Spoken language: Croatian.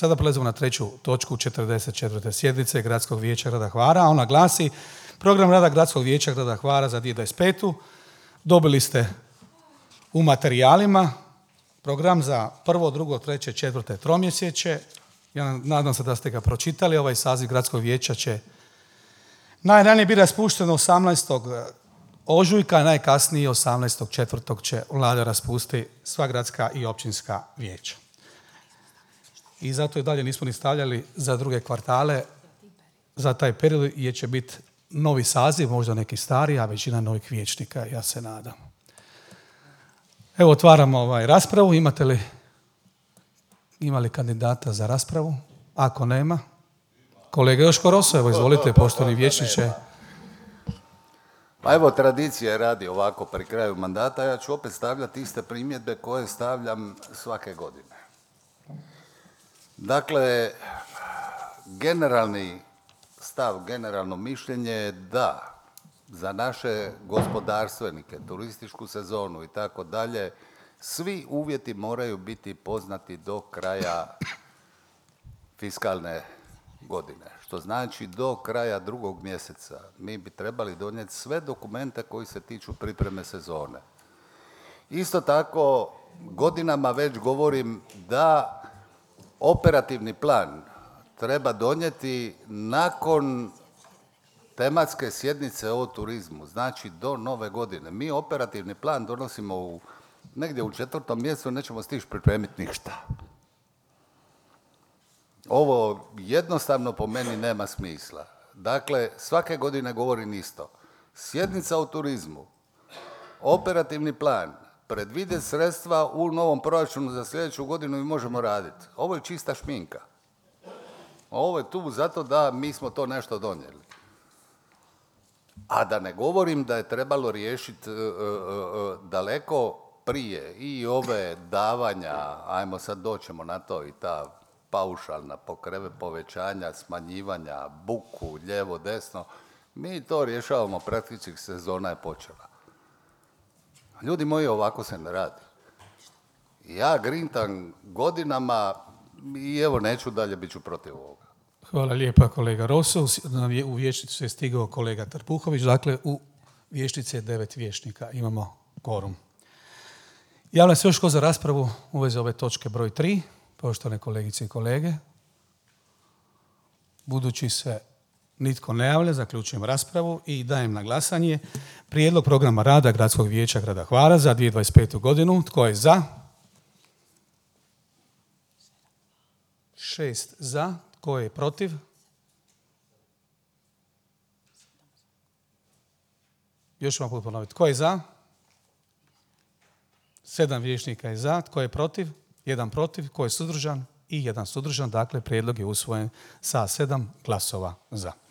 Sada prelazimo na treću točku 44. sjednice Gradskog vijeća grada Hvara. Ona glasi: program rada Gradskog vijeća grada Hvara za 2025. Dobili ste u materijalima program za prvo, drugo, treće, četvrte tromjesečje. Ja nadam se da ste ga pročitali. Ovaj saziv Gradskog vijeća će najranije biti raspušteno 18. ožujka, najkasnije 18.4. će vlada raspustiti sva gradska i općinska vijeća. I zato i dalje nismo ni stavljali za druge kvartale, za taj period, jer će biti novi saziv, možda neki stari, a većina novih vijećnika, ja se nadam. Evo, otvaramo raspravu. Ima li kandidata za raspravu? Ako nema, kolega Joško Roso, evo izvolite, poštovani vijećniče. Pa evo, tradicija radi ovako pri kraju mandata, ja ću opet stavljati iste primjedbe koje stavljam svake godine. Dakle, generalni stav, generalno mišljenje je da za naše gospodarstvenike, turističku sezonu i tako dalje, svi uvjeti moraju biti poznati do kraja fiskalne godine. Što znači do kraja 2. mjeseca mi bi trebali donijeti sve dokumente koji se tiču pripreme sezone. Isto tako, godinama već govorim da operativni plan treba donijeti nakon tematske sjednice o turizmu, znači do nove godine. Mi operativni plan donosimo negdje u 4. mjesecu, nećemo stići pripremiti ništa. Ovo jednostavno po meni nema smisla. Dakle, svake godine govorim isto. Sjednica o turizmu, operativni plan, predvide sredstva u novom proračunu za sljedeću godinu i možemo raditi. Ovo je čista šminka. Ovo je tu zato da mi smo to nešto donijeli. A da ne govorim da je trebalo riješiti daleko prije i ove davanja, ajmo sad doćemo na to, i ta paušalna povećanja, smanjivanja, buku, lijevo, desno. Mi to rješavamo, praktički sezona je počela. Ljudi moji, ovako se ne radi. Ja grintam godinama i evo neću dalje, bit ću protiv ovoga. Hvala lijepa, kolega Roso. U vijećnicu je stigao kolega Trpuhović. Dakle, u vijećnici je 9 vijećnika. Imamo kvorum. Javlja se još ko za raspravu u vezi ove točke broj 3. Poštovane kolegice i kolege. Budući se nitko ne javlja, zaključujem raspravu i dajem na glasanje prijedlog programa rada Gradskog vijeća grada Hvara za 2025. godinu. Tko je za? 6 za. Tko je protiv? Još vam put ponoviti. Tko je za? 7 vijećnika je za. Tko je protiv? 1 protiv. Tko je suzdržan? I 1 suzdržan. Dakle, prijedlog je usvojen sa 7 glasova za.